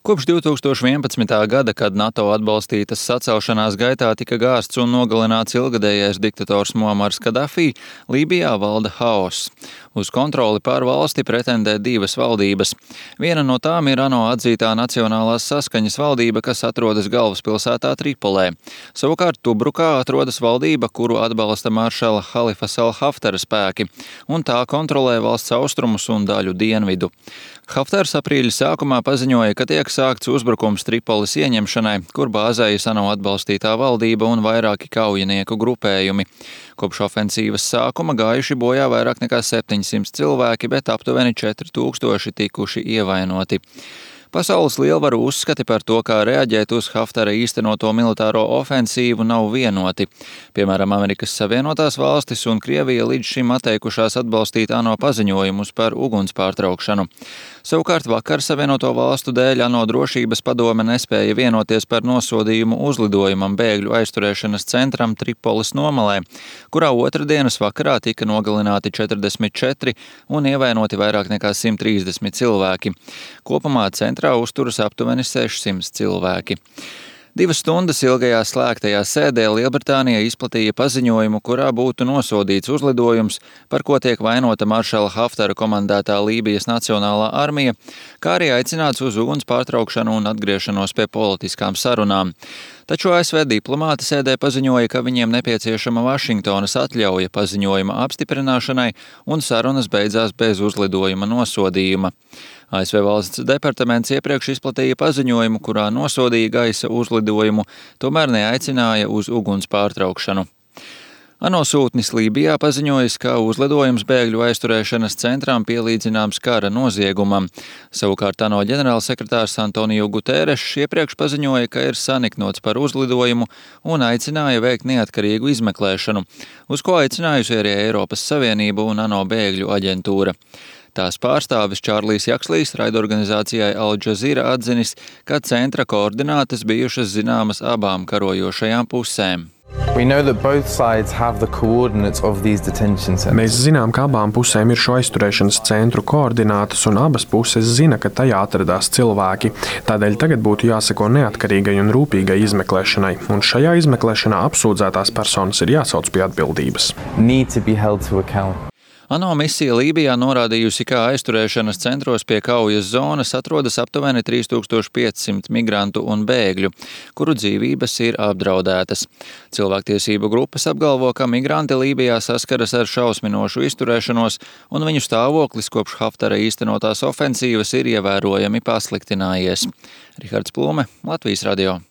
Kopš 2011. gada, kad NATO atbalstītas sacelšanās gaitā tika gāzts un nogalināts ilgadējais diktators Muamars Kadafī, Lībijā valda haoss. Uz kontroli pār valsti pretendē divas valdības. Viena no tām ir ANO atzītā Nacionālās saskaņas valdība, kas atrodas galvaspilsētā Tripolē. Savukārt Tubrukā atrodas valdība, kuru atbalsta maršala Halifas al-Haftara spēki, un tā kontrolē valsts austrumus un daļu dienvidu. Haftars aprīļa sākumā paziņoja, ka tiek sākts uzbrukums Tripolis ieņemšanai, kur bāzējas ANO atbalstītā valdība un vairāki kaujinieku grupējumi. Kopš ofensīvas sākuma gājuši bojā vairāk nekā 700 cilvēki, bet aptuveni 4000 tikuši ievainoti. Pasaules lielvaru uzskati par to, kā reaģēt uz Haftara īstenoto militāro ofensīvu, nav vienoti. Piemēram, Amerikas Savienotās valstis un Krievija līdz šim atteikušās atbalstīt ANO paziņojumus par uguns pārtraukšanu. Savukārt vakar Savienoto valstu dēļ ANO drošības padome nespēja vienoties par nosodījumu uzlidojumam bēgļu aizturēšanas centram Tripolis nomalē, kurā otrdienas vakarā tika nogalināti 44 un ievainoti vairāk nekā 130 cilvēki. Kopumā centrā uzturas aptuveni 600 cilvēki. 2 stundas ilgajā slēgtajā sēdē Lielbritānija izplatīja paziņojumu, kurā būtu nosodīts uzlidojums, par ko tiek vainota maršala Haftara komandētā Lībijas Nacionālā armija, kā arī aicināts uz uguns pārtraukšanu un atgriešanos pie politiskām sarunām. Taču ASV diplomāti sēdē paziņoja, ka viņiem nepieciešama Vašingtonas atļauja paziņojuma apstiprināšanai, un sarunas beidzās bez uzlidojuma nosodījuma. ASV valsts departaments iepriekš izplatīja paziņojumu, kurā nosodīja gaisa uzlidojumu, tomēr neaicināja uz uguns pārtraukšanu. ANO sūtnis Lībijā paziņojis, ka uzlidojums bēgļu aizturēšanas centrām pielīdzināms kara noziegumam. Savukārt ANO ģenerālsekretārs Antonio Guterres iepriekš paziņoja, ka ir saniknots par uzlidojumu un aicināja veikt neatkarīgu izmeklēšanu, uz ko aicinājusi arī Eiropas Savienība un ANO bēgļu aģentūra. Tās pārstāvis Čārlijs Jakslīs raidorganizācijai Al Jazeera atzinis, ka centra koordinātas bijušas zināmas abām karojošajām pusēm. Mēs zinām, ka abām pusēm ir šo aizturēšanas centru koordinātas, un abas puses zina, ka tajā atradās cilvēki. Tādēļ tagad būtu jāseko neatkarīgai un rūpīgai izmeklēšanai, un šajā izmeklēšanā apsūdzētās personas ir jāsauc pie atbildības. ANO misija Lībijā norādījusi, ka aizturēšanas centros pie kaujas zonas atrodas aptuveni 3500 migrantu un bēgļu, kuru dzīvības ir apdraudētas. Cilvēktiesību grupas apgalvo, ka migranti Lībijā saskaras ar šausminošu izturēšanos, un viņu stāvoklis kopš Haftara īstenotās ofensīvas ir ievērojami pasliktinājies. Rihards Plume, Latvijas radio.